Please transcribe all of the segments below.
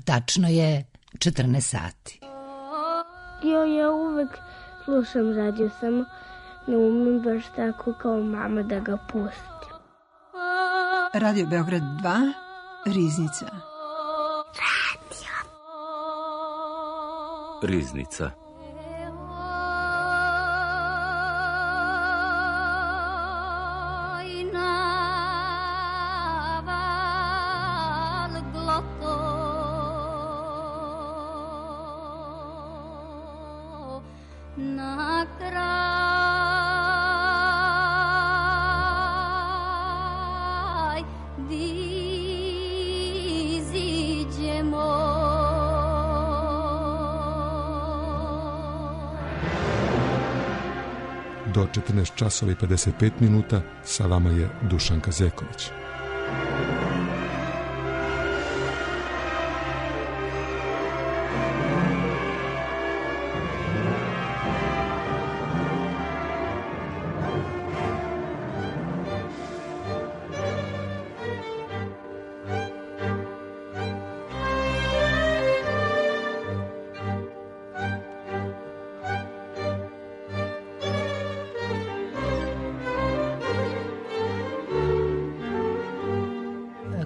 tačno je 14 sati. Ja uvek slušam radio, samo ne umem baš tako kao mama da ga pustim. Radio Beograd 2, Riznica. Riznica. Do 14 časova i 55 minuta sa vama je Dušanka Zeković.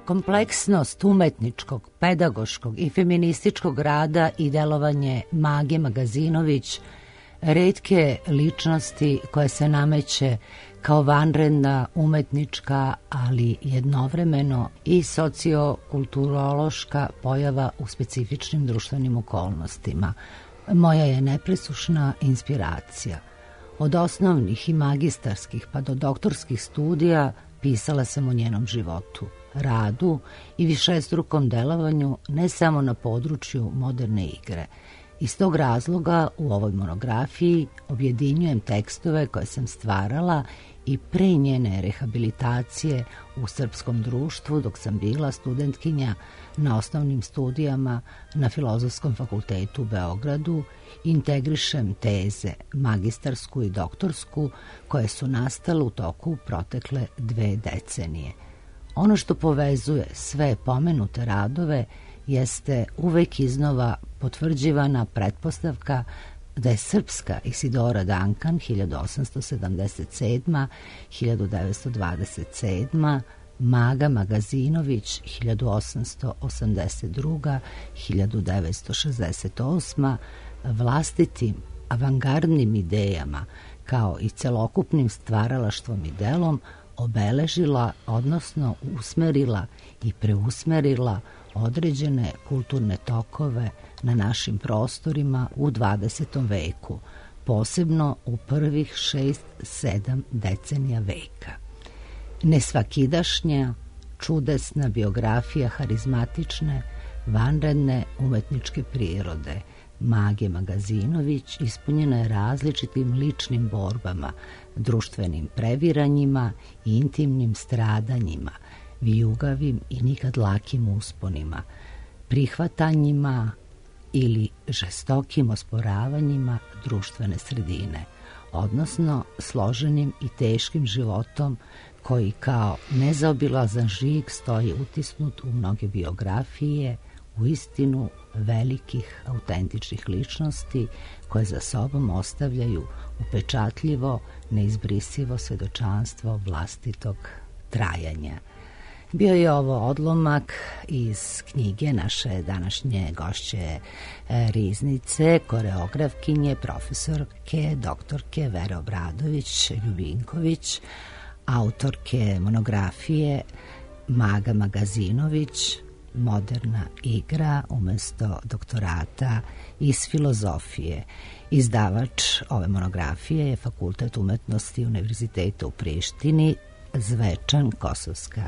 Kompleksnost umetničkog, pedagoškog i feminističkog rada i delovanje Mage Magazinović, retke ličnosti koje se nameće kao vanredna umetnička, ali jednovremeno i sociokulturološka pojava u specifičnim društvenim okolnostima, moja je nepresušna inspiracija. Od osnovnih i magistarskih pa do doktorskih studija pisala sam o njenom životu, radu i višestrukom delovanju ne samo na području moderne igre. Iz tog razloga u ovoj monografiji objedinjujem tekstove koje sam stvarala i pre njene rehabilitacije u srpskom društvu dok sam bila studentkinja na osnovnim studijama na Filozofskom fakultetu u Beogradu, integrišem teze, magistarsku i doktorsku, koje su nastale u toku protekle 2 decenije. Ono što povezuje sve pomenute radove jeste uvek iznova potvrđivana pretpostavka da je srpska Isidora Duncan 1877-1927, Maga Magazinović 1882-1968 vlastitim avangardnim idejama kao i celokupnim stvaralaštvom i delom obeležila, odnosno usmerila i preusmerila određene kulturne tokove na našim prostorima u 20. veku, posebno u prvih 6-7 decenija veka. Nesvakidašnja, čudesna biografija harizmatične, vanredne umetničke prirode Mage Magazinović ispunjena je različitim ličnim borbama, društvenim previranjima i intimnim stradanjima, vijugavim i nikad lakim usponima, prihvatanjima ili žestokim osporavanjima društvene sredine, odnosno složenim i teškim životom koji kao nezaobilazan žig stoji utisnut u mnoge biografije, u istinu velikih autentičnih ličnosti koje za sobom ostavljaju upečatljivo, neizbrisivo svedočanstvo vlastitog trajanja. Bio je ovo odlomak iz knjige naše današnje gošće Riznice, koreografkinje, profesorke, doktorke Vere Obradović-Ljubinković, autorke monografije Maga Magazinović, Moderna igra umesto doktorata iz filozofije. Izdavač ove monografije je Fakultet umetnosti Univerziteta u Prištini, Zvečan, Kosovska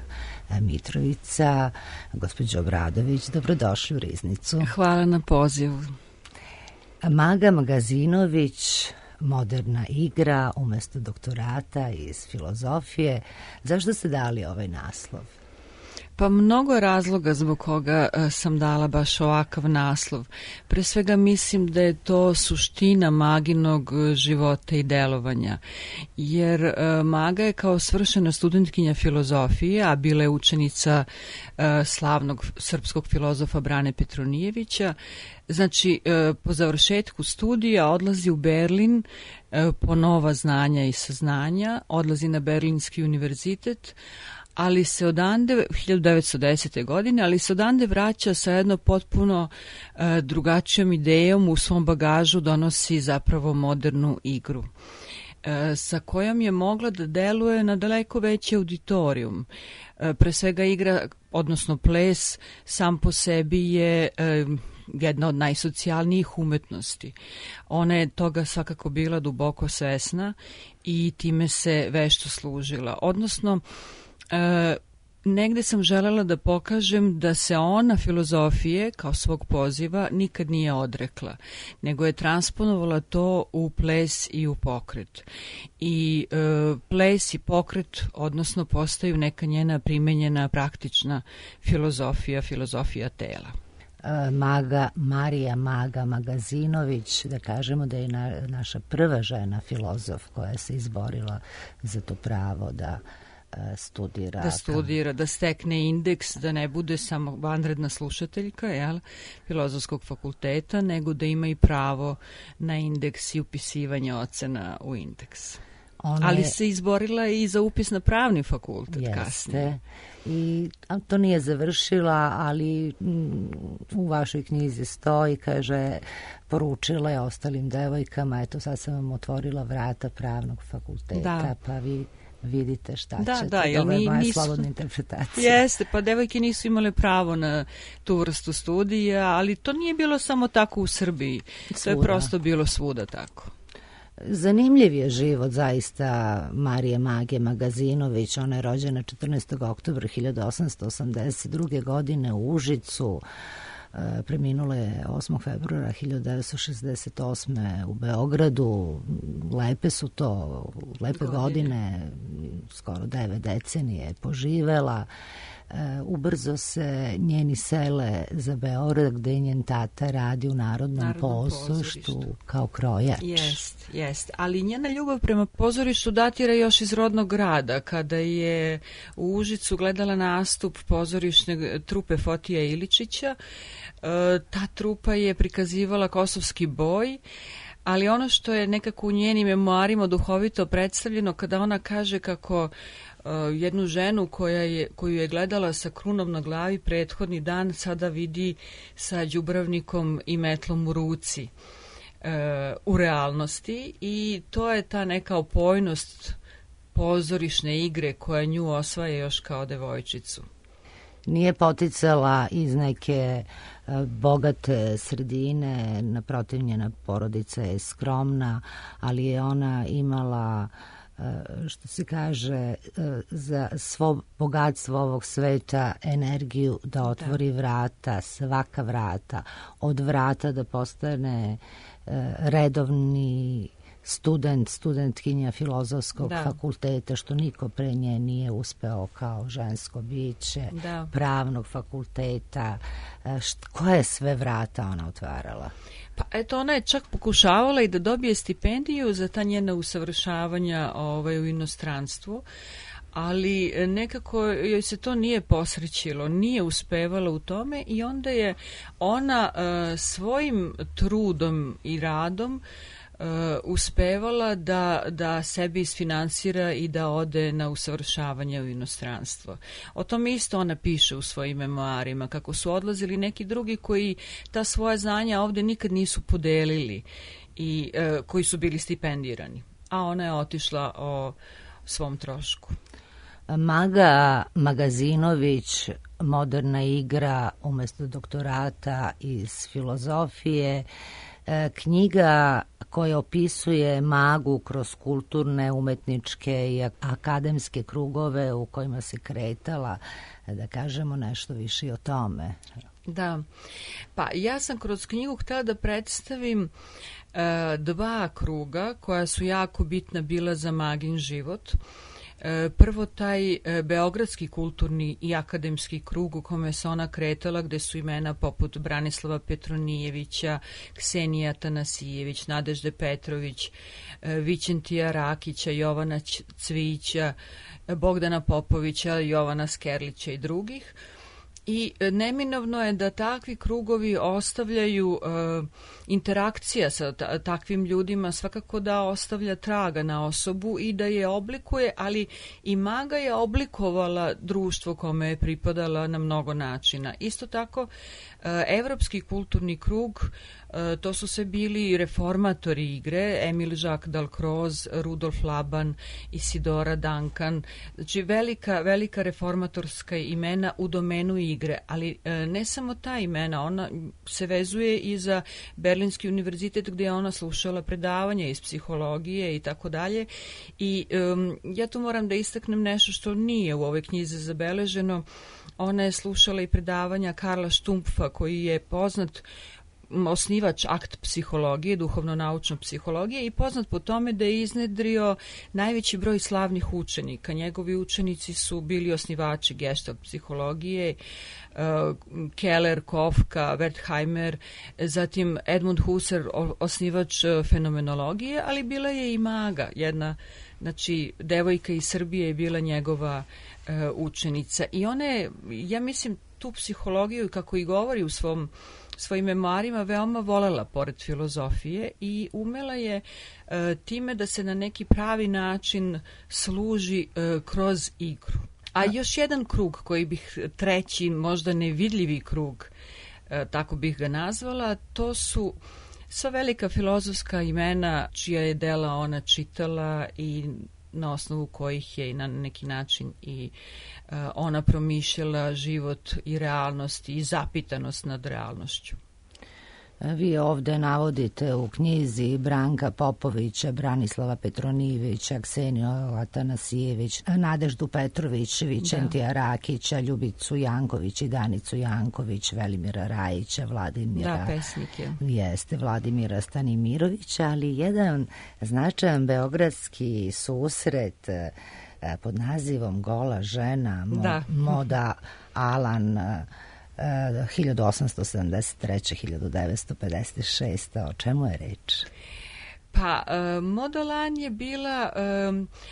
Mitrovica. Gospođo Obradović, dobrodošli u Riznicu. Hvala na pozivu. Maga Magazinović, Moderna igra umesto doktorata iz filozofije. Zašto ste dali ovaj naslov? Pa mnogo je razloga zbog koga sam dala baš ovakav naslov. Pre svega mislim da je to suština Maginog života i delovanja. Jer Maga je kao svršena studentkinja filozofije, a bila je učenica slavnog srpskog filozofa Brane Petronijevića. Znači, po završetku studija odlazi u Berlin po nova znanja i saznanja, odlazi na Berlinski univerzitet, ali se odande, 1910. godine, ali se odande vraća sa jedno potpuno drugačijom idejom, u svom bagažu donosi zapravo modernu igru, sa kojom je mogla da deluje na daleko veći auditorijum. Pre svega igra, odnosno ples, sam po sebi je jedna od najsocijalnijih umetnosti. Ona je toga svakako bila duboko svesna i time se vešto služila. Odnosno, negde sam želela da pokažem da se ona filozofije kao svog poziva nikad nije odrekla, nego je transponovala to u ples i u pokret. I ples i pokret, odnosno, postaju neka njena primenjena praktična filozofija tela. Marija Maga Magazinović, da kažemo da je naša prva žena filozof koja se izborila za to pravo da studira, da stekne indeks, da ne bude samo vanredna slušateljka filozofskog fakulteta, nego da ima i pravo na indeks i upisivanje ocena u indeks. Ali se izborila i za upis na pravni fakultet kasnije. I to nije završila, ali u vašoj knjizi stoji, kaže, poručila je ostalim devojkama, eto sad sam vam otvorila vrata pravnog fakulteta, pa vi vidite šta ćete. Ovo je moja slobodna interpretacija. Jeste, pa devojke nisu imale pravo na tu vrstu studija, ali to nije bilo samo tako u Srbiji. To je prosto bilo svuda tako. Zanimljiv je život zaista Marije Mage Magazinović. Ona je rođena 14. oktobra 1882. godine u Užicu. Preminula je 8. februara 1968. u Beogradu. Lepe su to, lepe godine, skoro 9 decenije poživela. Ubrzo se njeni sele za Beograd, gde je njen tata radi u Narodnom pozorištu kao krojač. Jest. Ali njena ljubav prema pozorištu datira još iz rodnog grada, kada je u Užicu gledala nastup pozorišne trupe Fotija Iličića. Ta trupa je prikazivala kosovski boj, ali ono što je nekako u njenim memoarima duhovito predstavljeno, kada ona kaže kako jednu ženu koju je gledala sa krunom na glavi prethodni dan sada vidi sa đubravnikom i metlom u ruci u realnosti, i to je ta neka opojnost pozorišne igre koja nju osvaja još kao devojčicu. Nije poticala iz neke bogate sredine, naprotiv, njena porodica je skromna, ali je ona imala, što se kaže, za svo bogatstvo ovog sveta energiju da otvori vrata, svaka vrata, od vrata da postane redovni studentkinja filozofskog fakulteta, što niko pre nje nije uspeo kao žensko biće, pravnog fakulteta. Koje sve vrata ona otvarala? Pa eto, ona je čak pokušavala i da dobije stipendiju za ta njena usavršavanja u inostranstvu, ali nekako joj se to nije posrećilo, nije uspevala u tome, i onda je ona svojim trudom i radom uspevala da sebi isfinansira i da ode na usavršavanje u inostranstvo. O tom isto ona piše u svojim memoarima, kako su odlazili neki drugi koji ta svoja znanja ovde nikad nisu podelili i koji su bili stipendirani, a ona je otišla o svom trošku. Maga Magazinović, moderna igra umesto doktorata iz filozofije, knjiga koja opisuje Magu kroz kulturne, umetničke i akademske krugove u kojima se kretala, da kažemo nešto više o tome. Da, pa ja sam kroz knjigu htjela da predstavim dva kruga koja su jako bitna bila za Magin život. Prvo taj beogradski kulturni i akademski krug u kome se ona kretala, gde su imena poput Branislava Petronijevića, Ksenija Tanasijević, Nadežde Petrović, Vićentija Rakića, Jovana Cvića, Bogdana Popovića, Jovana Skerlića i drugih. I neminovno je da takvi krugovi ostavljaju interakcija sa takvim ljudima, svakako da ostavlja traga na osobu i da je oblikuje, ali i Maga je oblikovala društvo kome je pripadala na mnogo načina. Isto tako, evropski kulturni krug, to su sve bili reformatori igre, Emil Jacques Dalcroze, Rudolf Laban, Isidora Duncan, znači velika reformatorska imena u domenu igre, ali ne samo ta imena, ona se vezuje i za Berlinski univerzitet gdje je ona slušala predavanja iz psihologije i tako dalje. I ja tu moram da istaknem nešto što nije u ovoj knjizi zabeleženo. Ona je slušala i predavanja Karla Stumpfa, koji je poznat osnivač akt psihologije, duhovno-naučne psihologije i poznat po tome da je iznedrio najveći broj slavnih učenika. Njegovi učenici su bili osnivači Gestalt psihologije, Keller, Kofka, Wertheimer, zatim Edmund Husserl, osnivač fenomenologije, ali bila je i Maga, jedna, znači, devojka iz Srbije je bila njegova učenica. I ona je, ja mislim, tu psihologiju, kako i govori u svojim memoarima, veoma volela pored filozofije i umela je time da se na neki pravi način služi kroz igru. A još jedan krug koji bih, treći, možda nevidljivi krug, tako bih ga nazvala, to su sva velika filozofska imena čija je dela ona čitala i na osnovu kojih je na neki način i ona promišljala život i realnost i zapitanost nad realnošću. Vi ovde navodite u knjizi Branka Popovića, Branislava Petronijevića, Kseniju Atanasijević, Nadeždu Petrović, Vićentija Rakića, Ljubicu Janković i Danicu Janković, Velimira Rajića, Vladimira... pesnike. Jeste, Vladimira Stanimirovića, ali jedan značajan beogradski susret pod nazivom Gola žena, Moda Alan, 1873-1956. O čemu je reč? Pa, Moda Alan je bila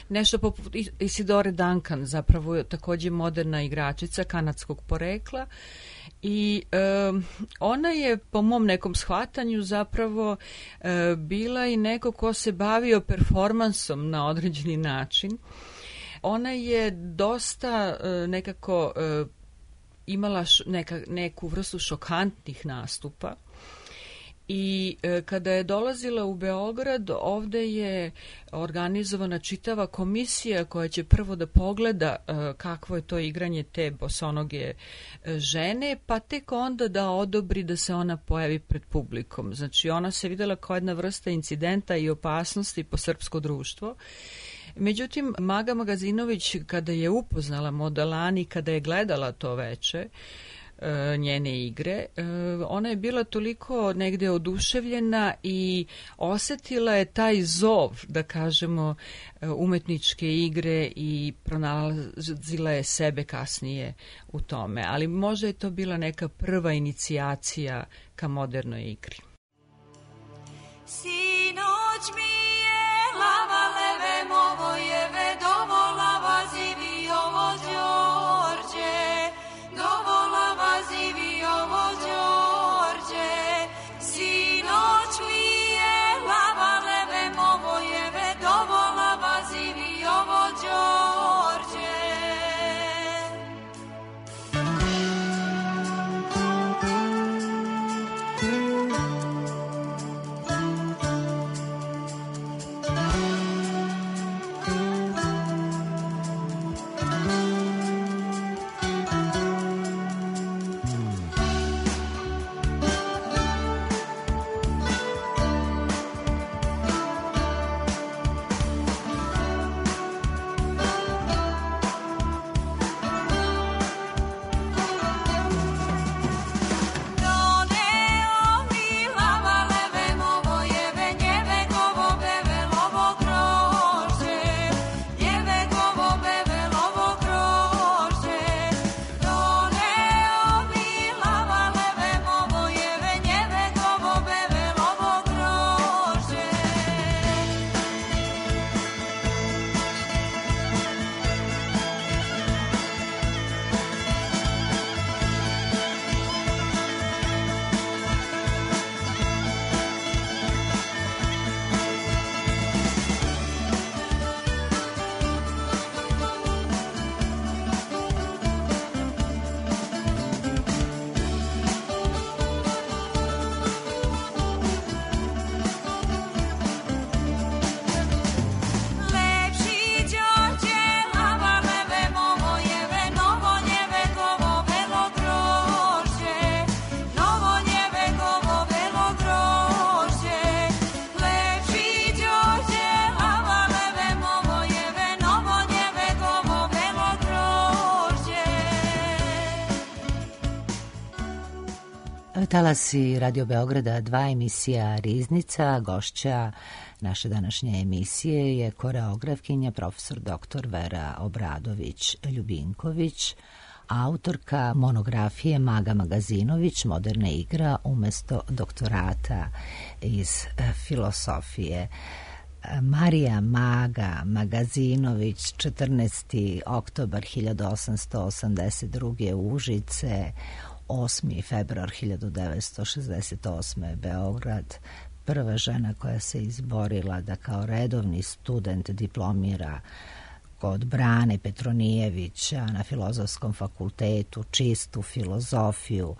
nešto poput Isidore Duncan, zapravo takođe moderna igračica kanadskog porekla i ona je po mom nekom shvatanju zapravo bila i neko ko se bavio performansom na određeni način. Ona je dosta nekako imala neku vrstu šokantnih nastupa i kada je dolazila u Beograd, ovde je organizovana čitava komisija koja će prvo da pogleda kakvo je to igranje te bosonoge žene, pa tek onda da odobri da se ona pojavi pred publikom. Znači, ona se videla kao jedna vrsta incidenta i opasnosti po srpsko društvo. Međutim, Maga Magazinović, kada je upoznala Moda Alan i kada je gledala to veče, njene igre, ona je bila toliko negde oduševljena i osetila je taj zov, da kažemo, umetničke igre i pronalazila je sebe kasnije u tome. Ali možda je to bila neka prva inicijacija ka modernoj igri. Sinoć mi je lava leve movojeve dovolava zivi ovo Đorđe, dovolava zivi ovo Đorđe. Sinoć mi je lava leve movojeve dovolava zivi ovo Đorđe. Talasi Radio Beograda 2 emisija Riznica. Gošća naše današnje emisije je koreografkinja profesor dr. Vera Obradović-Ljubinković, autorka monografije Maga Magazinović, Moderna igra umesto doktorata iz filosofije. Marija Maga Magazinović, 14. oktobar 1882. Užice, 8. februar 1968. Beograd, prva žena koja se izborila da kao redovni student diplomira kod Brane Petronijevića na Filozofskom fakultetu, čistu filozofiju,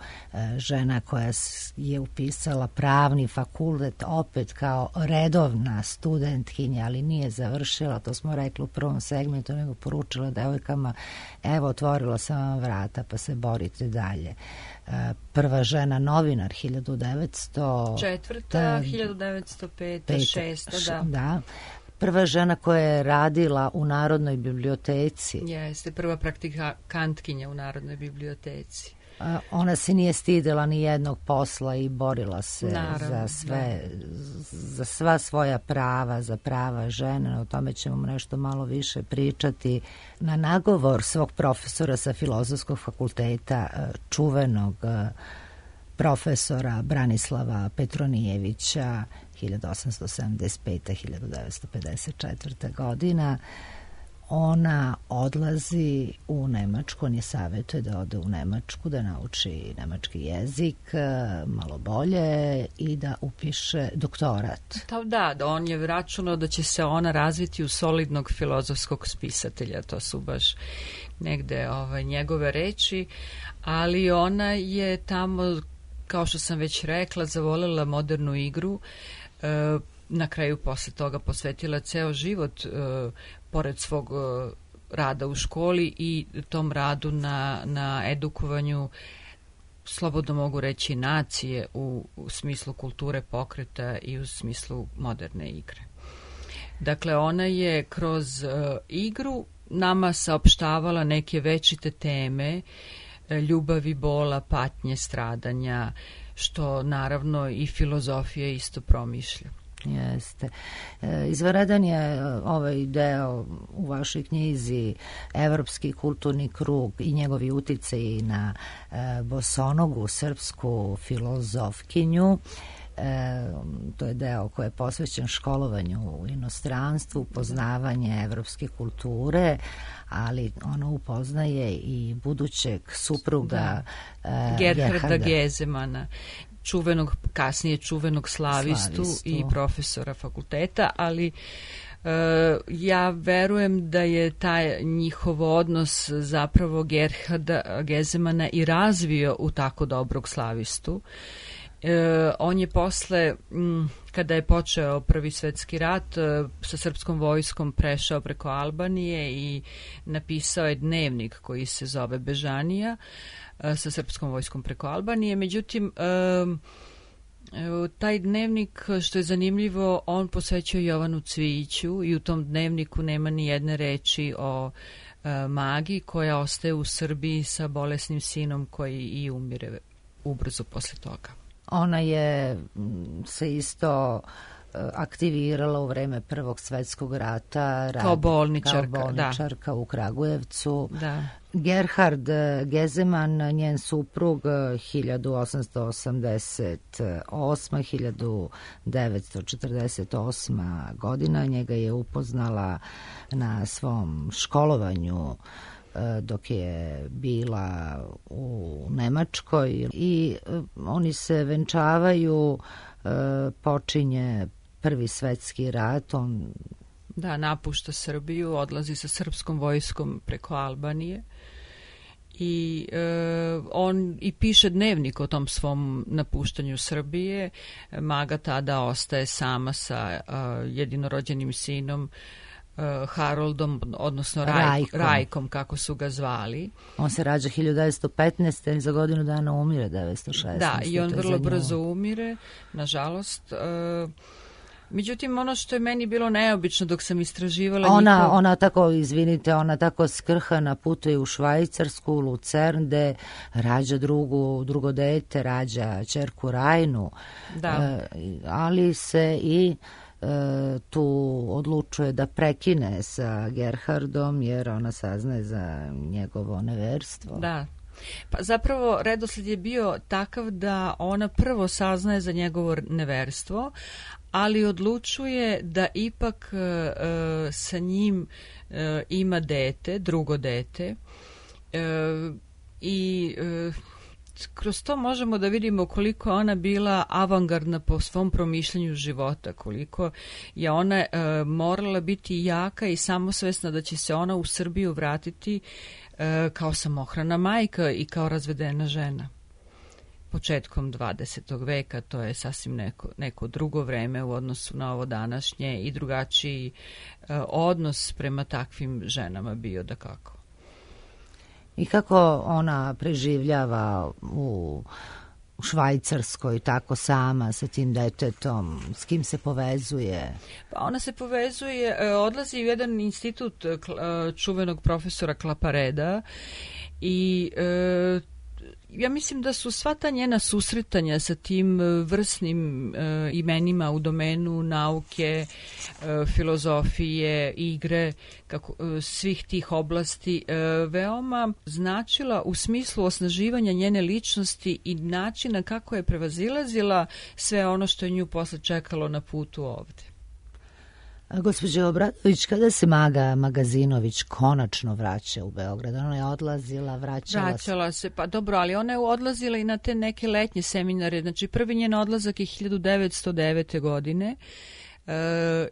žena koja je upisala pravni fakultet opet kao redovna studentkinja, ali nije završila, to smo rekli u prvom segmentu, nego poručila devojkama, evo otvorila sam vam vrata pa se borite dalje. Prva žena novinar 1904. 1905. 6. Da. Prva žena koja je radila u Narodnoj biblioteci. Jeste, prva praktikantkinja u Narodnoj biblioteci. Ona se nije stidela ni jednog posla i borila se Naravno, za sva svoja prava, za prava žene. O tome ćemo nešto malo više pričati. Na nagovor svog profesora sa Filozofskog fakulteta, čuvenog profesora Branislava Petronijevića, 1875-1954. godina, ona odlazi u Nemačku, on je savjetuje da ode u Nemačku, da nauči nemački jezik malo bolje i da upiše doktorat. Da, on je računao da će se ona razviti u solidnog filozofskog spisatelja, to su baš negde njegove reči, ali ona je tamo, kao što sam već rekla, zavolela modernu igru, na kraju posle toga posvetila ceo život pored svog rada u školi i tom radu na edukovanju, slobodno mogu reći, nacije u smislu kulture pokreta i u smislu moderne igre. Dakle, ona je kroz igru nama saopštavala neke večite teme, ljubavi, bola, patnje, stradanja, što naravno i filozofija isto promišlja. Jeste. Izvanredan je ovaj deo u vašoj knjizi Evropski kulturni krug i njegovi uticaji na bosonogu srpsku filozofkinju. To je deo koji je posvećen školovanju u inostranstvu, poznavanje evropske kulture, ali ona upoznaje i budućeg supruga Gerharda Gezemana, kasnije čuvenog slavistu i profesora fakulteta, ali ja verujem da je taj njihov odnos zapravo Gerharda Gezemana i razvio u tako dobrog slavistu. On je posle, kada je počeo Prvi svetski rat, sa srpskom vojskom prešao preko Albanije i napisao je dnevnik koji se zove Bežanija sa srpskom vojskom preko Albanije. Međutim, taj dnevnik, što je zanimljivo, on posvećuje Jovanu Cvijiću i u tom dnevniku nema ni jedne reči o Magi koja ostaje u Srbiji sa bolesnim sinom koji i umire ubrzo posle toga. Ona je se isto aktivirala u vreme Prvog svetskog rata kao bolničarka u Kragujevcu. Da. Gerhard Gezeman, njen suprug, 1888-1948 godina, njega je upoznala na svom školovanju dok je bila u Nemačkoj i oni se venčavaju, počinje Prvi svetski rat, on napušta Srbiju, odlazi sa srpskom vojskom preko Albanije i on i piše dnevnik o tom svom napuštanju Srbije. Maga tada ostaje sama sa jedinorođenim sinom Haroldom, odnosno Rajkom, kako su ga zvali. On se rađa 1915. i za godinu dana umire 1916. Da, i on vrlo brzo umire, nažalost. Međutim, ono što je meni bilo neobično dok sam istraživala ona tako, izvinite, ona tako skrhana putuje u Švajcarsku, u Lucern, gde rađa drugo dete, rađa ćerku Rajnu, ali se i tu odlučuje da prekine sa Gerhardom jer ona saznaje za njegovo neverstvo. Da. Pa zapravo redosled je bio takav da ona prvo saznaje za njegovo neverstvo, ali odlučuje da ipak sa njim ima dete, drugo dete, i kroz to možemo da vidimo koliko je ona bila avangardna po svom promišljanju života, koliko je ona morala biti jaka i samosvesna da će se ona u Srbiju vratiti kao samohrana majka i kao razvedena žena. Početkom 20. veka, to je sasvim neko drugo vreme u odnosu na ovo današnje i drugačiji odnos prema takvim ženama bio dakako. I kako ona preživljava u Švajcarskoj tako sama sa tim detetom, s kim se povezuje? Pa ona se povezuje, odlazi u jedan institut čuvenog profesora Klapareda i ja mislim da su sva ta njena susretanja sa tim vrsnim imenima u domenu nauke, filozofije, igre, svih tih oblasti veoma značila u smislu osnaživanja njene ličnosti i načina kako je prevazilazila sve ono što je nju posle čekalo na putu ovde. Gospođo Obradović, kada se Maga Magazinović konačno vraća u Beograd? Ona je odlazila, vraćala se. Pa dobro, ali ona je odlazila i na te neke letnje seminare. Znači, prvi njen odlazak je 1909. godine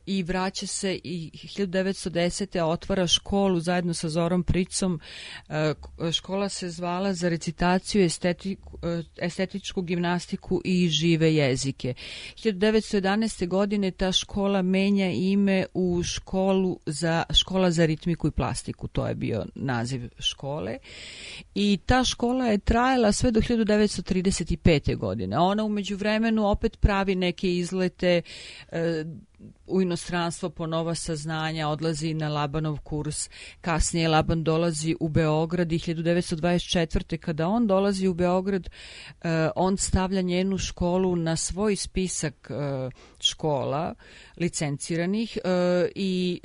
i vraća se i 1910. otvara školu zajedno sa Zorom Pricom. Škola se zvala za recitaciju, estetičku gimnastiku i žive jezike. 1911. godine ta škola menja ime u škola za ritmiku i plastiku. To je bio naziv škole. I ta škola je trajala sve do 1935. godine. Ona u međuvremenu opet pravi neke izlete u inostranstvo po nova saznanja, odlazi na Labanov kurs, kasnije Laban dolazi u Beograd i 1924. kada on dolazi u Beograd, on stavlja njenu školu na svoj spisak škola licenciranih i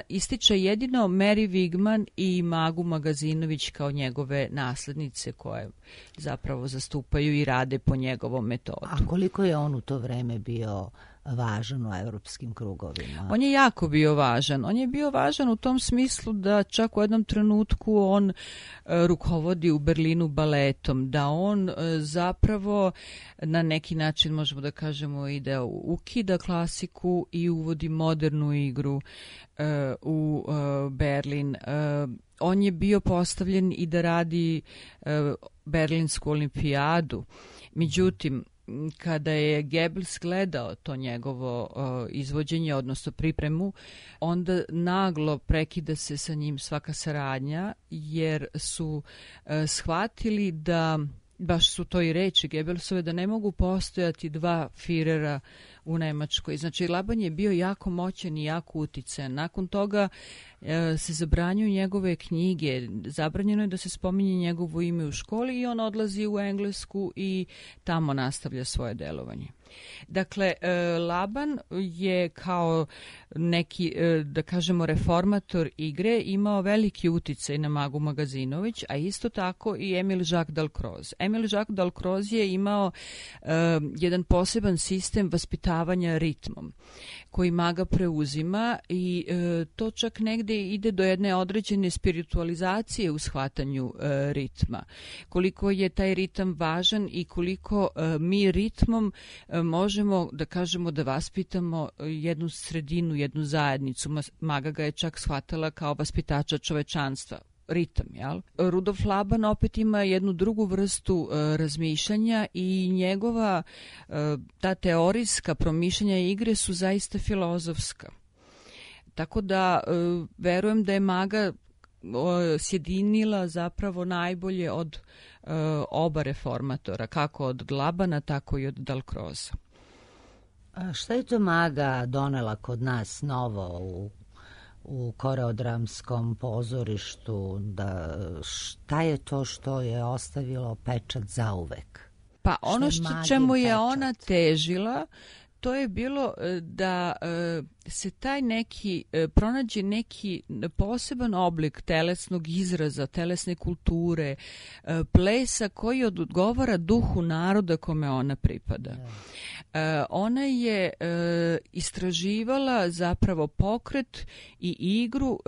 ističe jedino Mary Wigman i Magu Magazinović kao njegove naslednice koje zapravo zastupaju i rade po njegovom metodu. A koliko je on u to vreme bio važan u evropskim krugovima? On je jako bio važan. On je bio važan u tom smislu da čak u jednom trenutku on rukovodi u Berlinu baletom, da on zapravo na neki način, možemo da kažemo, i da ukida klasiku i uvodi modernu igru u Berlin. On je bio postavljen i da radi Berlinsku olimpijadu. Međutim, kada je Goebbels gledao to njegovo izvođenje, odnosno pripremu, onda naglo prekida se sa njim svaka saradnja, jer su shvatili da, baš su to i reči Goebbelsove, da ne mogu postojati dva Firera u Nemačkoj. Znači, Laban je bio jako moćan i jako uticajan. Nakon toga se zabranjuju njegove knjige, zabranjeno je da se spominje njegovo ime u školi i on odlazi u Englesku i tamo nastavlja svoje delovanje. Dakle, Laban je kao neki, da kažemo, reformator igre imao veliki uticaj na Magu Magazinović, a isto tako i Emil Jacques Dalcroze. Emil Jacques Dalcroze je imao jedan poseban sistem vaspitavanja ritmom koji Maga preuzima i to čak negde ide do jedne određene spiritualizacije u shvatanju ritma. Koliko je taj ritam važan i koliko mi ritmom možemo da kažemo da vaspitamo jednu sredinu, jednu zajednicu. Maga ga je čak shvatala kao vaspitača čovečanstva. Ritam, jel? Rudolf Laban opet ima jednu drugu vrstu razmišljanja i njegova ta teorijska promišljanja igre su zaista filozofska. Tako da verujem da je Maga sjedinila zapravo najbolje od oba reformatora, kako od Labana, tako i od Dalcroza. A šta je to Maga donela kod nas novo u koreodramskom pozorištu? Šta je to što je ostavilo pečat zauvek? Pa ono čemu je ona težila, to je bilo da se taj neki, pronađe neki poseban oblik telesnog izraza, telesne kulture, plesa koji odgovara duhu naroda kome ona pripada. Ona je istraživala zapravo pokret i igru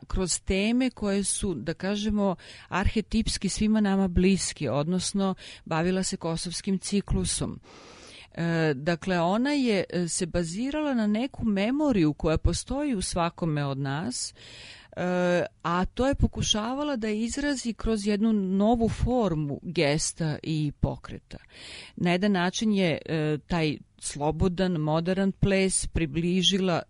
kroz teme koje su, da kažemo, arhetipski svima nama bliski, odnosno bavila se kosovskim ciklusom. Dakle, ona je se bazirala na neku memoriju koja postoji u svakome od nas, a to je pokušavala da izrazi kroz jednu novu formu gesta i pokreta. Na jedan način je taj slobodan, modern ples približila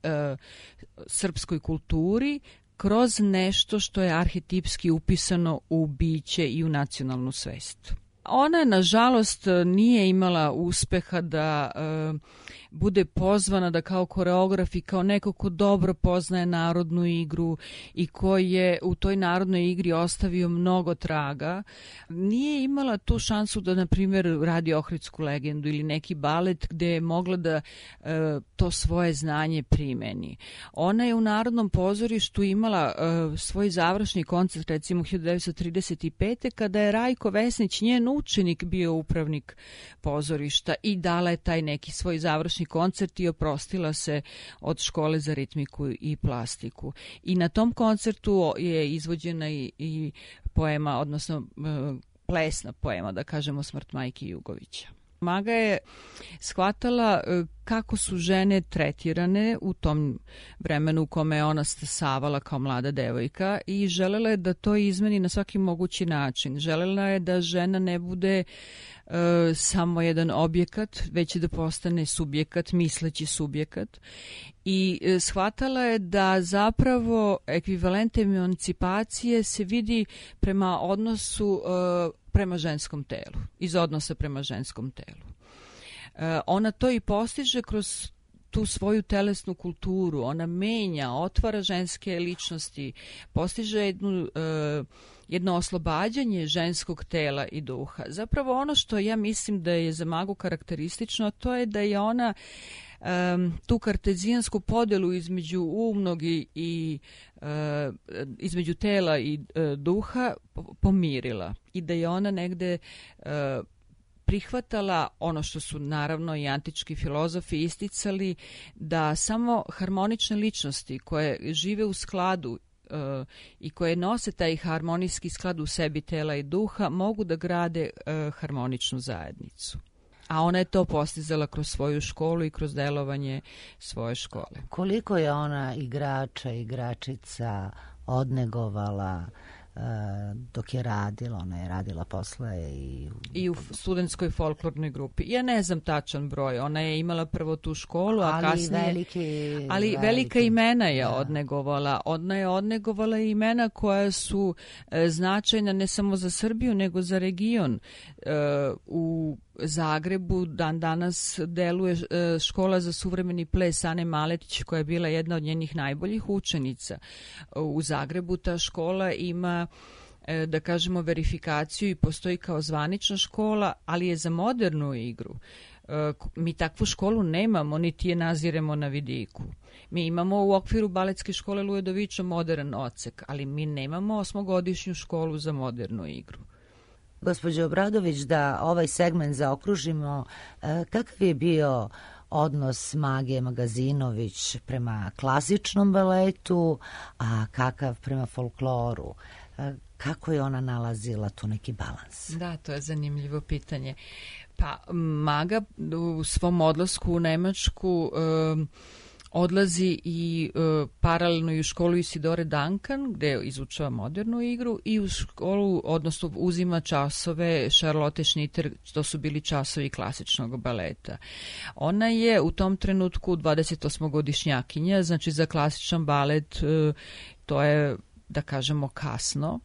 srpskoj kulturi kroz nešto što je arhetipski upisano u biće i u nacionalnu svest. Ona, nažalost, nije imala uspeha da bude pozvana da kao koreograf i kao neko ko dobro poznaje narodnu igru i koji je u toj narodnoj igri ostavio mnogo traga. Nije imala tu šansu da, na primjer, radi Ohridsku legendu ili neki balet gde je mogla da to svoje znanje primeni. Ona je u Narodnom pozorištu imala svoj završni koncert, recimo 1935. kada je Rajko Vesnić, njen učenik, bio upravnik pozorišta i dala je taj neki svoj završni koncert i oprostila se od škole za ritmiku i plastiku. I na tom koncertu je izvođena i poema, odnosno plesna poema, da kažemo, Smrt majke Jugovića. Maga je shvatala kako su žene tretirane u tom vremenu u kome je ona stasavala kao mlada devojka i želela je da to izmeni na svaki mogući način. Želela je da žena ne bude samo jedan objekat, već da postane subjekat, misleći subjekat. I shvatala je da zapravo ekvivalent emancipacije se vidi prema odnosu prema ženskom telu, iz odnosa prema ženskom telu. Ona to i postiže kroz tu svoju telesnu kulturu. Ona menja, otvara ženske ličnosti, postiže jedno oslobađanje ženskog tela i duha. Zapravo ono što ja mislim da je za Magu karakteristično, to je da je ona tu kartezijansku podelu između umnog i između tela i duha pomirila i da je ona negde prihvatala ono što su naravno i antički filozofi isticali, da samo harmonične ličnosti koje žive u skladu i koje nose taj harmonijski sklad u sebi tela i duha mogu da grade harmoničnu zajednicu. A ona je to postizala kroz svoju školu i kroz delovanje svoje škole. Koliko je ona igrača, igračica odnegovala dok je radila, ona je radila posle i u studentskoj folklornoj grupi. Ja ne znam tačan broj, ona je imala prvo tu školu, a kasnije... Ali velika imena je odnegovala. Ona je odnegovala imena koja su značajna ne samo za Srbiju, nego za region. U Zagrebu danas deluje škola za suvremeni ples Ane Maletić, koja je bila jedna od njenih najboljih učenica. U Zagrebu ta škola ima, da kažemo, verifikaciju i postoji kao zvanična škola, ali je za modernu igru. Mi takvu školu nemamo, niti je naziremo na vidiku. Mi imamo u okviru baletske škole Ludovića modern odsek, ali mi nemamo 8-godišnju školu za modernu igru. Gospođo Obradović, da ovaj segment zaokružimo, kakav je bio odnos Mage Magazinović prema klasičnom baletu, a kakav prema folkloru? Kako je ona nalazila tu neki balans? Da, to je zanimljivo pitanje. Pa Maga u svom odlasku u Nemačku odlazi i paralelno i u školu Isidore Duncan, gde izučava modernu igru, i u školu, odnosno uzima časove Charlotte Schnitter, to su bili časovi klasičnog baleta. Ona je u tom trenutku 28-godišnjakinja, znači za klasičan balet to je, da kažemo, kasno,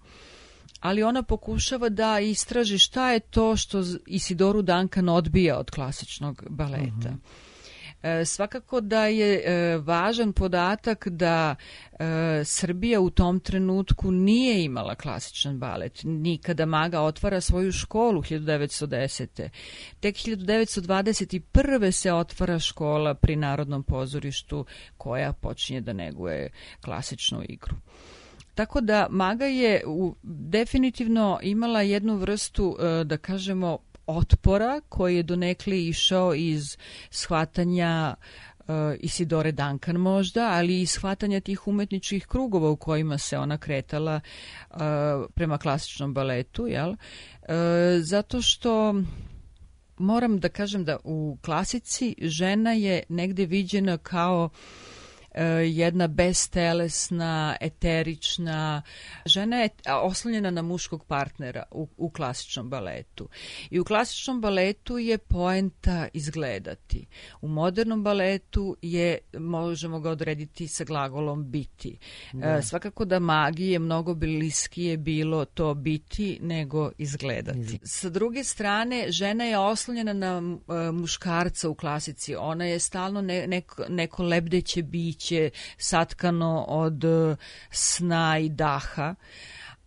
ali ona pokušava da istraži šta je to što Isidoru Duncan odbija od klasičnog baleta. Svakako da je važan podatak da Srbija u tom trenutku nije imala klasičan balet. Nikada Maga otvara svoju školu 1910. Tek 1921. se otvara škola pri Narodnom pozorištu koja počinje da neguje klasičnu igru. Tako da Maga je definitivno imala jednu vrstu, da kažemo, otpora koji je donekle išao iz shvatanja Isidore Duncan možda, ali i shvatanja tih umetničkih krugova u kojima se ona kretala prema klasičnom baletu, jel? Zato što moram da kažem da u klasici žena je negde viđena kao jedna bestelesna, eterična. Žena je oslonjena na muškog partnera u klasičnom baletu. I u klasičnom baletu je poenta izgledati. U modernom baletu možemo ga odrediti sa glagolom biti. Svakako da Magi je mnogo bliskije bilo to biti nego izgledati. Sa druge strane, žena je oslonjena na muškarca u klasici. Ona je stalno neko lebdeće biće, satkano od sna i daha,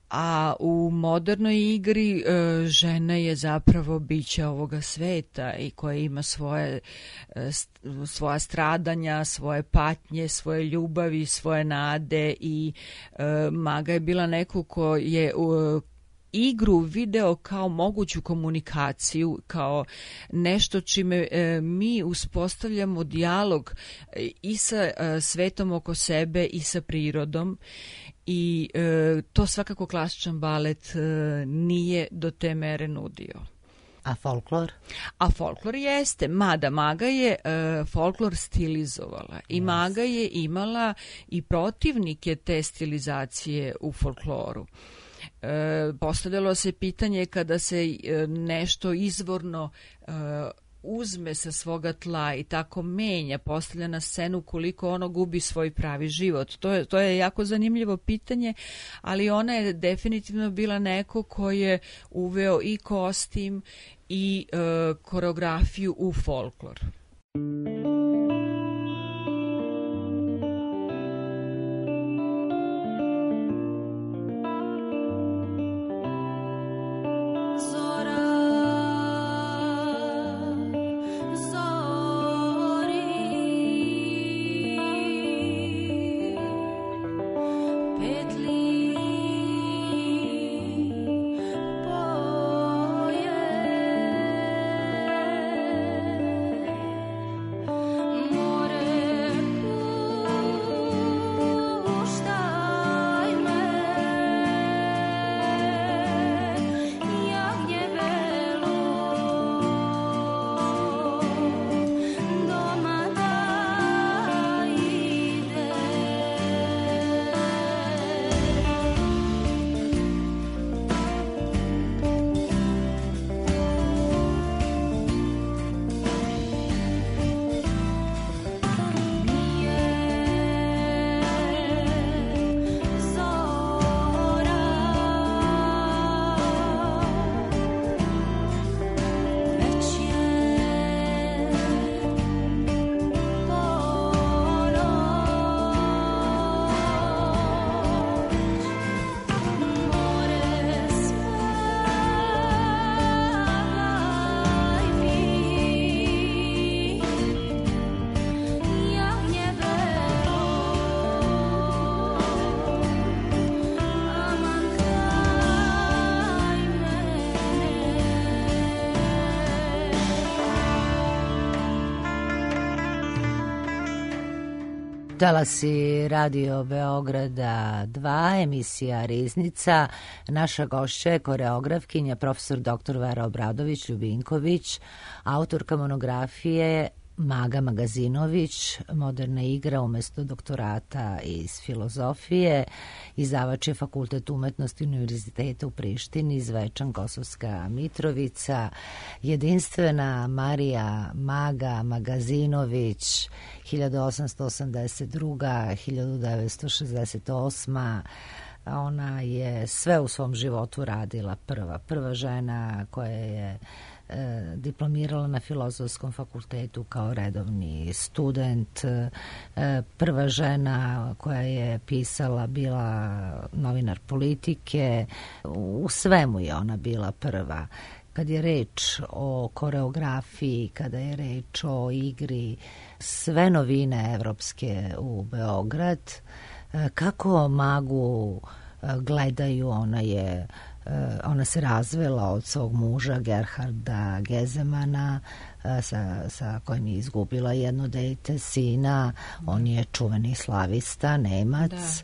a u modernoj igri žena je zapravo biće ovoga sveta i koja ima svoja stradanja, svoje patnje, svoje ljubavi, svoje nade i Maga je bila neko ko je igru video kao moguću komunikaciju, kao nešto čime mi uspostavljamo dijalog i sa svetom oko sebe i sa prirodom i to svakako klasičan balet nije do te mere nudio. A folklor? A folklor jeste, mada Maga je folklor stilizovala i Maga je imala i protivnike te stilizacije u folkloru. Postavljalo se pitanje kada se nešto izvorno uzme sa svoga tla i tako menja, postavlja na scenu koliko ono gubi svoj pravi život. To je jako zanimljivo pitanje, ali ona je definitivno bila neko ko je uveo i kostim i koreografiju u folklor. Talasi Radio Beograda 2, emisija Riznica. Naša gošća je koreografkinja profesor dr. Vera Obradović-Ljubinković, autorka monografije Maga Magazinović, moderna igra umesto doktorata iz filozofije, izdavač je Fakultet umetnosti Univerziteta u Prištini, Zvečan, Kosovska Mitrovica, jedinstvena Marija Maga Magazinović, 1882-1968. Ona je sve u svom životu radila prva žena koja je diplomirala na Filozofskom fakultetu kao redovni student. Prva žena koja je pisala bila novinar Politike. U svemu je ona bila prva. Kad je reč o koreografiji, kada je reč o igri, sve novine evropske u Beograd, kako Magu gledaju, ona se razvela od svog muža Gerharda Gezemana, sa kojim je izgubila jedno dete, sina. On je čuveni slavista, Nemac.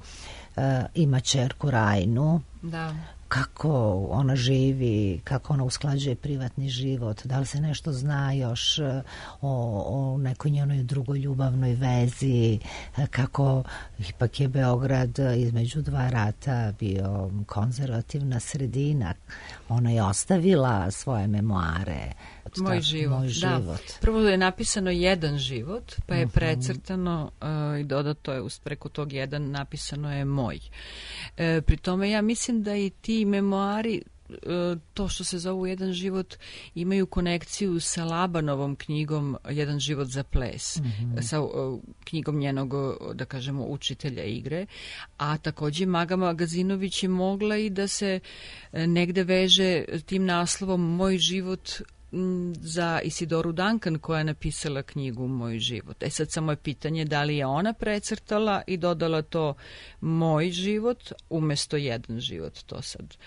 Ima ćerku Rajnu. Da. Kako ona živi, kako ona usklađuje privatni život, da li se nešto zna još o nekoj njenoj drugoj ljubavnoj vezi, kako ipak je Beograd između dva rata bio konzervativna sredina. Ona je ostavila svoje memoare. Moj život. Da. Prvo je napisano jedan život, pa je precrtano i dodato je preko tog jedan napisano je moj. Pri tome ja mislim da i ti memoari, to što se zovu jedan život, imaju konekciju sa Labanovom knjigom Jedan život za ples, sa knjigom njenog, da kažemo, učitelja igre, a takođe Maga Magazinović je mogla i da se negde veže tim naslovom Moj život za Isidoru Duncan koja je napisala knjigu Moj život. Sad samo je pitanje da li je ona precrtala i dodala to Moj život umesto Jedan život. To sad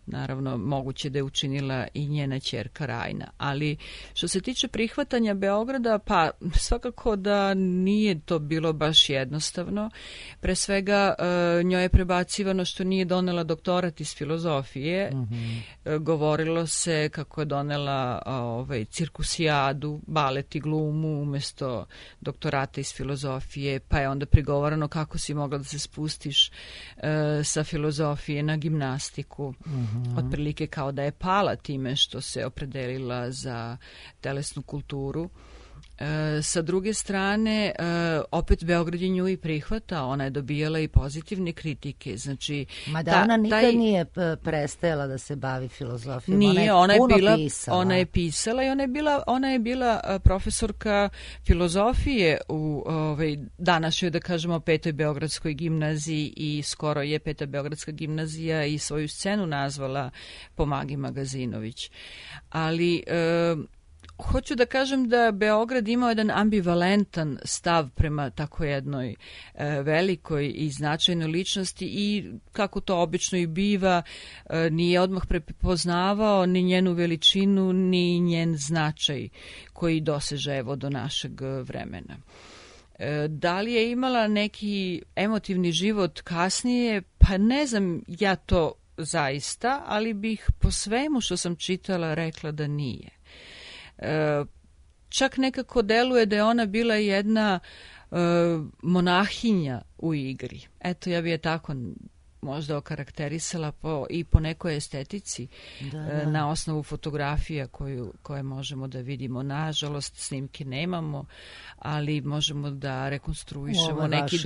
naravno moguće da je učinila i njena ćerka Rajna. Ali što se tiče prihvatanja Beograda, pa svakako da nije to bilo baš jednostavno. Pre svega njoj je prebacivano što nije donela doktorat iz filozofije. Govorilo se kako je donela cirkusijadu, balet i glumu umesto doktorata iz filozofije, pa je onda prigovorano kako si mogla da se spustiš sa filozofije na gimnastiku. Otprilike kao da je pala time što se opredelila za telesnu kulturu. Sa druge strane, opet Beograd je nju i prihvata, ona je dobijala i pozitivne kritike. Znači, mada ona nikad nije prestajala da se bavi filozofijom. Nije, ona je pisala i ona je bila profesorka filozofije u današnjoj, da kažemo, Petoj Beogradskoj gimnaziji i skoro je Peta Beogradska gimnazija i svoju scenu nazvala po Magi Magazinović. Ali hoću da kažem da Beograd imao jedan ambivalentan stav prema tako jednoj velikoj i značajnoj ličnosti i kako to obično i biva, nije odmah prepoznavao ni njenu veličinu ni njen značaj koji doseže evo do našeg vremena. Da li je imala neki emotivni život kasnije? Pa ne znam ja to zaista, ali bih po svemu što sam čitala rekla da nije. Čak nekako deluje da je ona bila jedna monahinja u igri. Eto, ja bi je tako možda okarakterisala i po nekoj estetici na osnovu fotografija koje možemo da vidimo. Nažalost, snimke nemamo, ali možemo da rekonstruišemo neki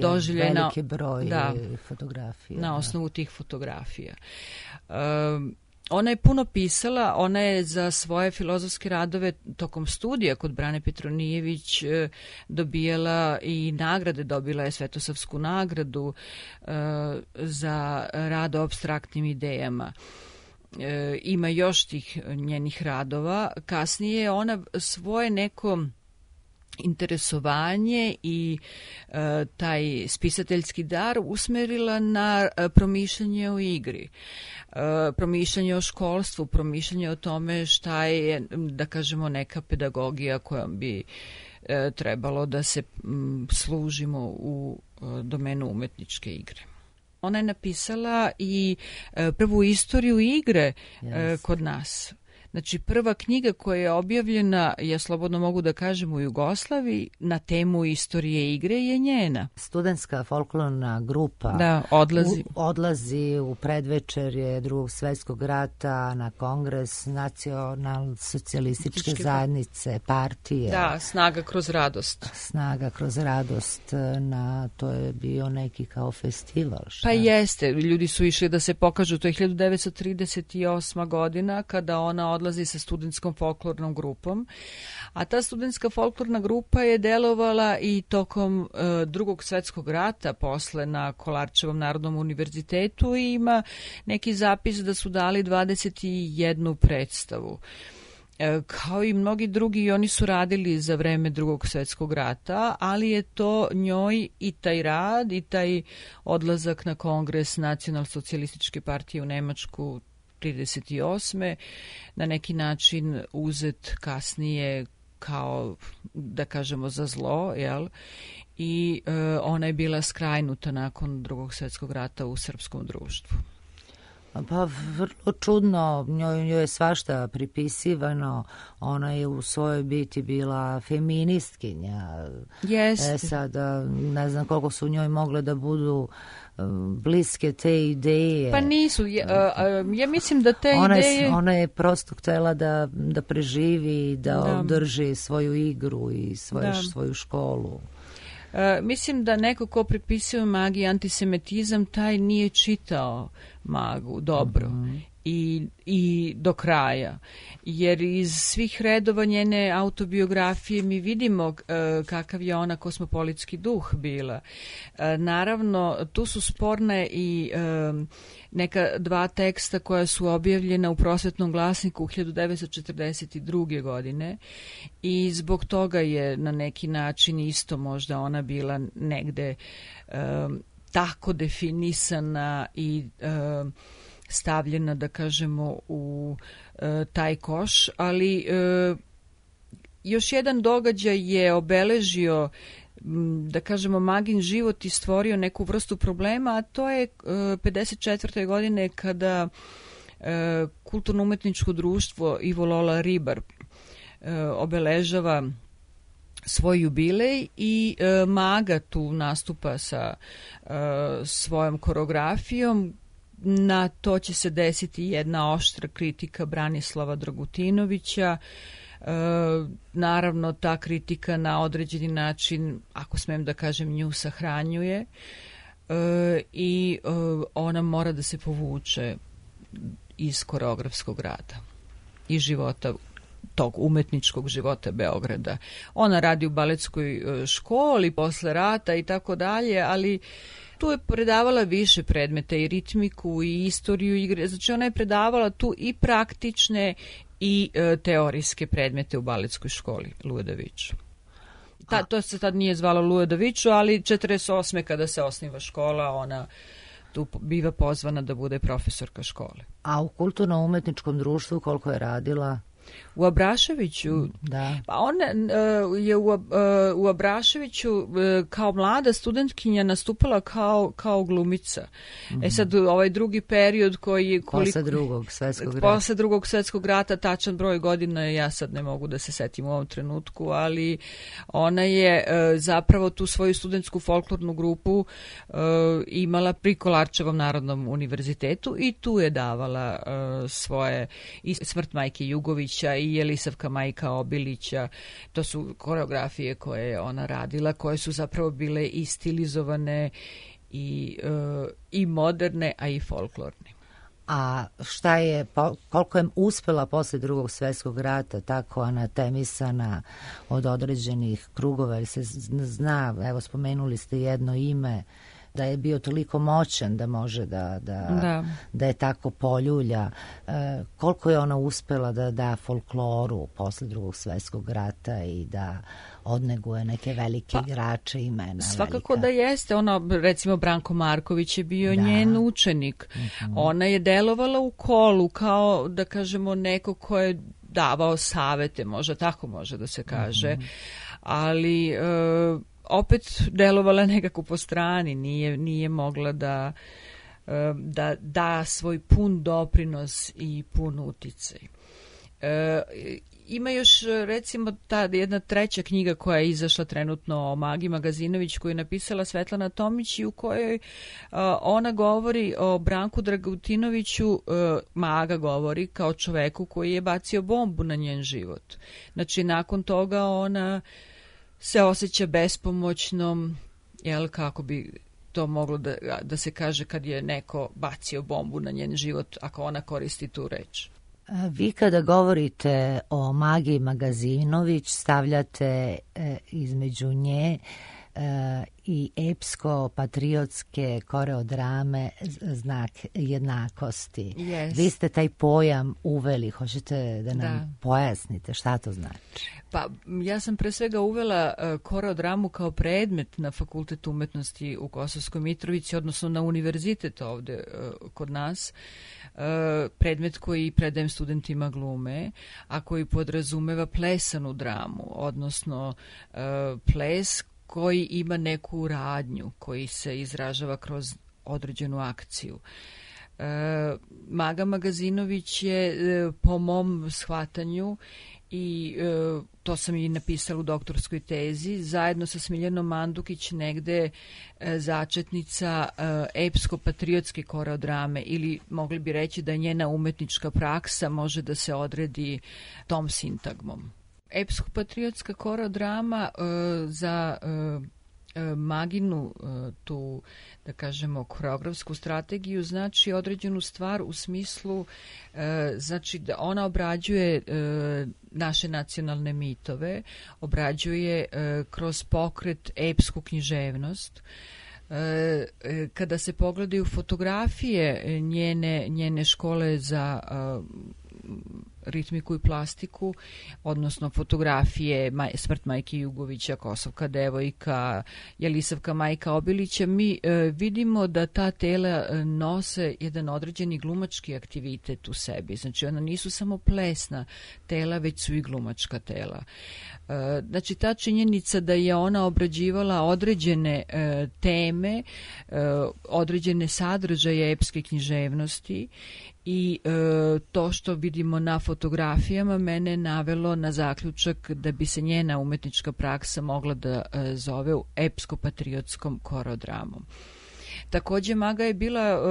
doživljaj veliki broj fotografija. Na osnovu tih fotografija. Ona je puno pisala, ona je za svoje filozofske radove tokom studija kod Brane Petronijević dobijala i nagrade, dobila je Svetosavsku nagradu za rad o apstraktnim idejama. Ima još tih njenih radova. Kasnije ona svoje neko interesovanje i taj spisateljski dar usmerila na promišljanje o igri, promišljanje o školstvu, promišljanje o tome šta je, da kažemo, neka pedagogija kojom bi trebalo da se služimo u domenu umetničke igre. Ona je napisala i prvu istoriju igre kod nas. Znači, prva knjiga koja je objavljena, ja slobodno mogu da kažem, u Jugoslaviji na temu istorije igre je njena. Studentska folklorna grupa odlazi u predvečerje Drugog svjetskog rata na kongres nacionalsocijalističke zajednice, partije. Da, Snaga kroz radost. Snaga kroz radost, to je bio neki kao festival. Šta? Pa jeste, ljudi su išli da se pokažu, to je 1938. godina kada ona odlazi odlazi sa studentskom folklornom grupom, a ta studentska folklorna grupa je delovala i tokom Drugog svetskog rata, posle na Kolarčevom narodnom univerzitetu, i ima neki zapis da su dali 21 predstavu. Kao i mnogi drugi, oni su radili za vreme Drugog svetskog rata, ali je to njoj i taj rad i taj odlazak na kongres Nacionalsocijalističke partije u Nemačku 1938. na neki način uzet kasnije kao, da kažemo, za zlo, jel? I ona je bila skrajnuta nakon Drugog svetskog rata u srpskom društvu. Pa vrlo čudno, njoj je svašta pripisivano, ona je u svojoj biti bila feministkinja. Jeste. Sada ne znam koliko su njoj mogle da budu bliske te ideje. Pa nisu, ja mislim da te ideje... Ona je prosto htjela da preživi, da održi svoju igru i svoju školu. Mislim da neko ko pripisuje magiji antisemitizam, taj nije čitao Magu dobro i do kraja. Jer iz svih redova njene autobiografije mi vidimo kakav je ona kosmopolitski duh bila. Naravno, tu su sporne i neka dva teksta koja su objavljena u Prosvetnom glasniku 1942. godine i zbog toga je na neki način isto možda ona bila negde tako definisana i stavljena, da kažemo, u taj koš, ali još jedan događaj je obeležio, da kažemo, Magin život i stvorio neku vrstu problema, a to je 54. godine kada kulturno-umetničko društvo Ivo Lola Ribar obeležava svoj jubilej i Maga tu nastupa sa svojom koreografijom. Na to će se desiti jedna oštra kritika Branislava Dragutinovića. Naravno, ta kritika na određeni način, ako smem da kažem, nju sahranjuje i ona mora da se povuče iz koreografskog rada i života, tog umetničkog života Beograda. Ona radi u baletskoj školi posle rata i tako dalje, ali tu je predavala više predmeta, i ritmiku i istoriju igre. Znači ona je predavala tu i praktične i teorijske predmete u baletskoj školi Luje Daviču. To se tad nije zvalo Luje Daviču, ali 1948. kada se osniva škola, ona tu biva pozvana da bude profesorka škole. A u kulturno-umetničkom društvu koliko je radila? U Abraševiću, da. Pa ona je u Abraševiću kao mlada studentkinja nastupala kao glumica. Sad ovaj drugi period koji... Posle Drugog svetskog rata, tačan broj godina ja sad ne mogu da se setim u ovom trenutku, ali ona je zapravo tu svoju studentsku folklornu grupu imala pri Kolarčevom narodnom univerzitetu i tu je davala svoje, i Smrt majke Jugovića i Jelisavka majka Obilića. To su koreografije koje je ona radila, koje su zapravo bile i stilizovane i moderne, a i folklorne. A šta je, koliko je uspela posle Drugog svetskog rata tako anatemisana od određenih krugova, jer se zna, evo spomenuli ste jedno ime, da je bio toliko moćan da može da je tako poljulja. Koliko je ona uspela da da folkloru posle Drugog svetskog rata i da odneguje neke velike igrače, imena. Svakako velika. Da jeste. Ona, recimo, Branko Marković je bio njen učenik. Ona je delovala u kolu kao, da kažemo, neko ko je davao savete, možda tako može da se kaže, ali opet delovala nekako po strani, nije mogla da da svoj pun doprinos i pun uticaj. Ima još, recimo, ta jedna treća knjiga koja je izašla trenutno o Magi Magazinović, koju je napisala Svetlana Tomić i u kojoj ona govori o Branku Dragutinoviću. Maga govori kao čoveku koji je bacio bombu na njen život. Znači, nakon toga ona se osjeća bespomoćnom, jel, kako bi to moglo da se kaže kad je neko bacio bombu na njen život, ako ona koristi tu reč. Vi kada govorite o Magi Magazinović stavljate između nje i epsko-patriotske koreodrame znak jednakosti. Yes. Vi ste taj pojam uveli, hoćete da nam pojasnite šta to znači? Pa ja sam pre svega uvela koreodramu kao predmet na Fakultetu umetnosti u Kosovskoj Mitrovici, odnosno na univerzitet ovde kod nas, predmet koji predajem studentima glume, a koji podrazumeva plesanu dramu, odnosno ples koji ima neku radnju, koji se izražava kroz određenu akciju. Maga Magazinović je po mom shvatanju, i to sam i napisala u doktorskoj tezi, zajedno sa Smiljanom Mandukić negde začetnica epsko-patriotske koreodrame, ili mogli bi reći da njena umetnička praksa može da se odredi tom sintagmom. Epsko-patriotska koreodrama za Maginu tu, da kažemo, koreografsku strategiju znači određenu stvar u smislu, znači da ona obrađuje naše nacionalne mitove, obrađuje kroz pokret epsku književnost. Kada se pogledaju fotografije njene škole za ritmiku i plastiku, odnosno fotografije Smrt majke Jugovića, Kosovka devojka, Jelisavka majka Obilića, mi vidimo da ta tela nose jedan određeni glumački aktivitet u sebi. Znači ona nisu samo plesna tela, već su i glumačka tela. Znači ta činjenica da je ona obrađivala određene teme, određene sadržaje epske književnosti, i to što vidimo na fotografijama mene navelo na zaključak da bi se njena umetnička praksa mogla da zove epsko-patriotskom koreodramom. Takođe, Maga je bila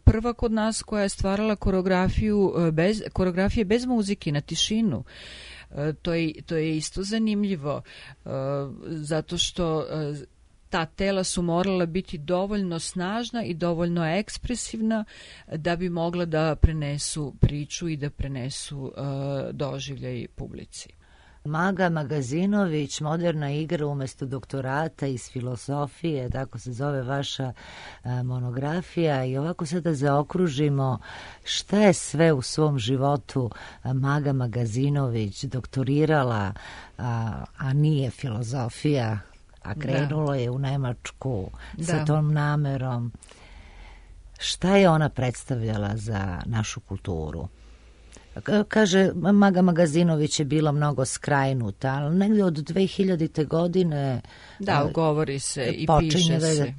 prva kod nas koja je stvarala koreografije bez muzike, na tišinu. To je isto zanimljivo, zato što ta tela su morala biti dovoljno snažna i dovoljno ekspresivna da bi mogla da prenesu priču i da prenesu doživljaj publici. Maga Magazinović, moderna igra umesto doktorata iz filozofije, tako se zove vaša monografija, i ovako sada zaokružimo šta je sve u svom životu Maga Magazinović doktorirala, a nije filozofija, a krenulo je u Nemačku sa tom namerom. Šta je ona predstavljala za našu kulturu? Kaže, Maga Magazinović je bila mnogo skrajnuta, ali negdje od 2000. godine govori se i piše se.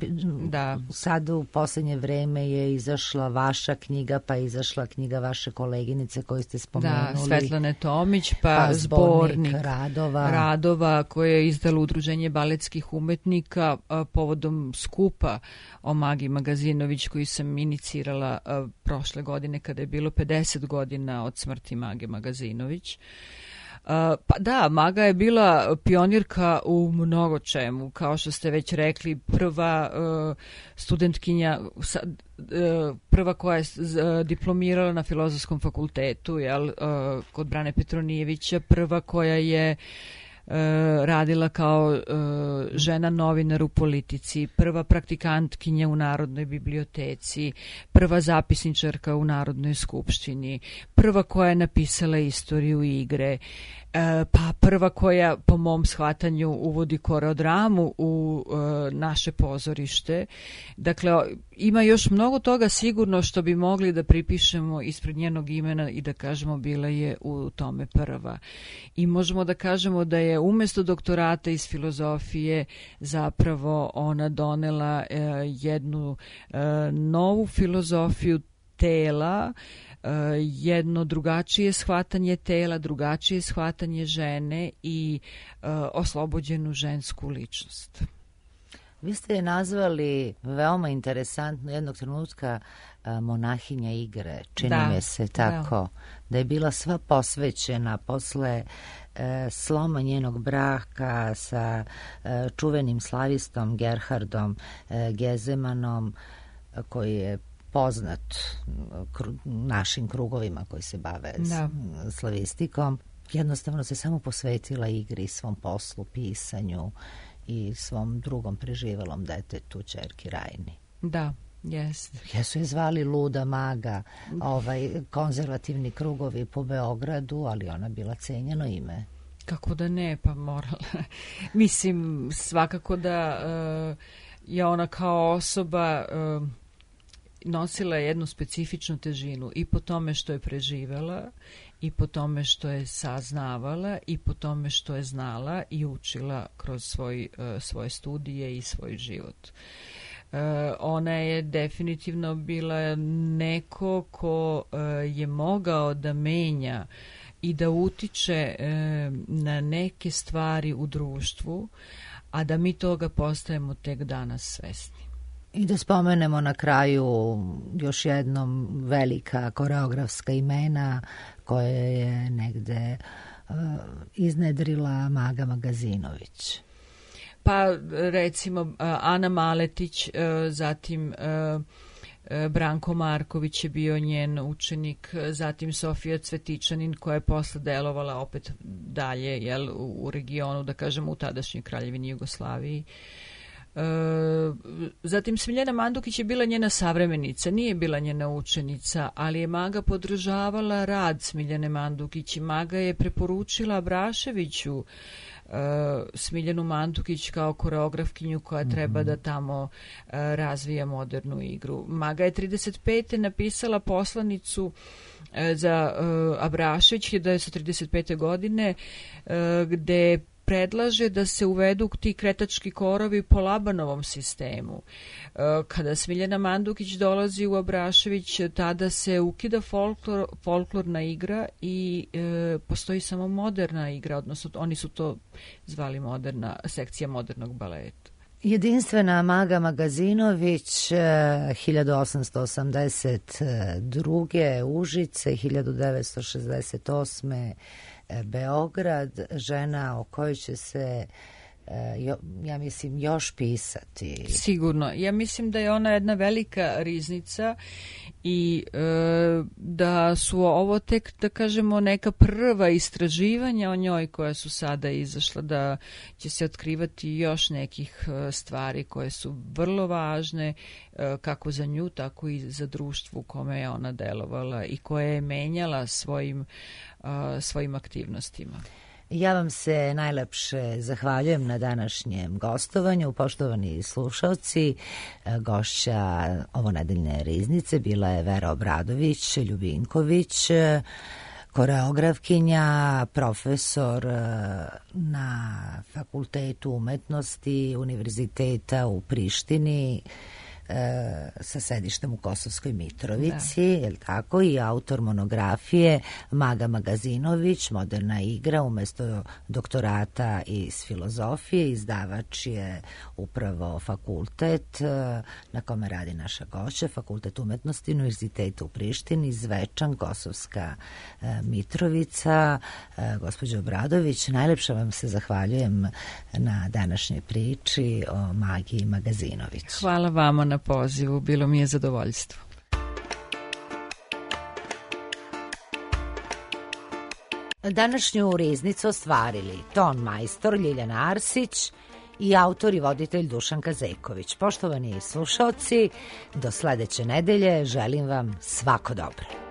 Sad u posljednje vreme je izašla vaša knjiga, pa je izašla knjiga vaše koleginice koju ste spomenuli. Svetlane Tomić, pa zbornik radova koje je izdalo Udruženje baletskih umetnika povodom skupa o Magi Magazinović koji sam inicirala prošle godine kada je bilo 50 godina od smrti Mage Magazinović. Pa da, Maga je bila pionirka u mnogo čemu, kao što ste već rekli, prva studentkinja, prva koja je diplomirala na Filozofskom fakultetu, kod Brane Petronijevića, prva koja je radila kao žena novinar u politici, prva praktikantkinja u Narodnoj biblioteci, prva zapisničarka u Narodnoj skupštini, prva koja je napisala istoriju igre, pa prva koja po mom shvatanju uvodi koreodramu u naše pozorište. Dakle, ima još mnogo toga sigurno što bi mogli da pripišemo ispred njenog imena i da kažemo bila je u tome prva. I možemo da kažemo da je umesto doktorata iz filozofije zapravo ona donela jednu novu filozofiju tela, jedno drugačije shvatanje tela, drugačije shvatanje žene i oslobođenu žensku ličnost. Vi ste je nazvali veoma interesantno jednog trenutka monahinja igre, čini mi se tako, da je bila sva posvećena posle sloma njenog braka sa čuvenim slavistom Gerhardom Gezemanom, koji je poznat našim krugovima koji se bave slavistikom. Jednostavno se samo posvetila igri, svom poslu, pisanju i svom drugom preživelom detetu, ćerki Rajni. Da, jeste. Jesu je zvali luda maga, konzervativni krugovi po Beogradu, ali ona bila cenjeno ime. Kako da ne, pa morala. Mislim, svakako da je ona kao osoba nosila jednu specifičnu težinu i po tome što je preživela, i po tome što je saznavala, i po tome što je znala i učila kroz svoje studije i svoj život. Ona je definitivno bila neko ko je mogao da menja i da utiče na neke stvari u društvu, a da mi toga postajemo tek danas svesni. I da spomenemo na kraju još jednom velika koreografska imena koje je negde iznedrila Maga Magazinović. Pa recimo Ana Maletić, zatim Branko Marković je bio njen učenik, zatim Sofija Cvetičanin koja je posle delovala opet dalje u regionu, da kažemo u tadašnjoj Kraljevini Jugoslaviji. Zatim Smiljana Mandukić je bila njena savremenica, nije bila njena učenica, ali je Maga podržavala rad Smiljane Mandukić i Maga je preporučila Abraševiću Smiljanu Mandukić kao koreografkinju koja treba da tamo razvija modernu igru. Maga je 35. napisala poslanicu za Abrašević 1935. godine gde predlaže da se uvedu ti kretački korovi po Labanovom sistemu. Kada Smiljana Mandukić dolazi u Abrašević, tada se ukida folklorna igra i postoji samo moderna igra, odnosno oni su to zvali sekcija modernog baleta. Jedinstvena Maga Magazinović, 1882. Užice, 1968. Beograd, žena o kojoj će se ja mislim još pisati. Sigurno. Ja mislim da je ona jedna velika riznica i da su ovo tek, da kažemo, neka prva istraživanja o njoj koja su sada izašla, da će se otkrivati još nekih stvari koje su vrlo važne kako za nju, tako i za društvo u kome je ona delovala i koje je menjala svojim aktivnostima. Ja vam se najlepše zahvaljujem na današnjem gostovanju. Poštovani slušalci, gošća ovonedeljne riznice bila je Vera Obradović Ljubinković, koreografkinja, profesor na Fakultetu umetnosti Univerziteta u Prištini, sa sedištem u Kosovskoj Mitrovici, je li tako, i autor monografije Maga Magazinović, moderna igra umesto doktorata iz filozofije. Izdavač je upravo fakultet na kome radi naša gošća, Fakultet umetnosti Univerziteta u Prištini, Zvečan, Kosovska Mitrovica. Gospođo Obradović, najlepše vam se zahvaljujem na današnjoj priči o Magi Magazinović. Hvala vama na pozivu, bilo mi je zadovoljstvo. Današnju riznicu ostvarili ton majstor Ljiljana Arsić i autor i voditelj Dušan Kazeković. Poštovani slušaoci, do sledeće nedelje želim vam svako dobro.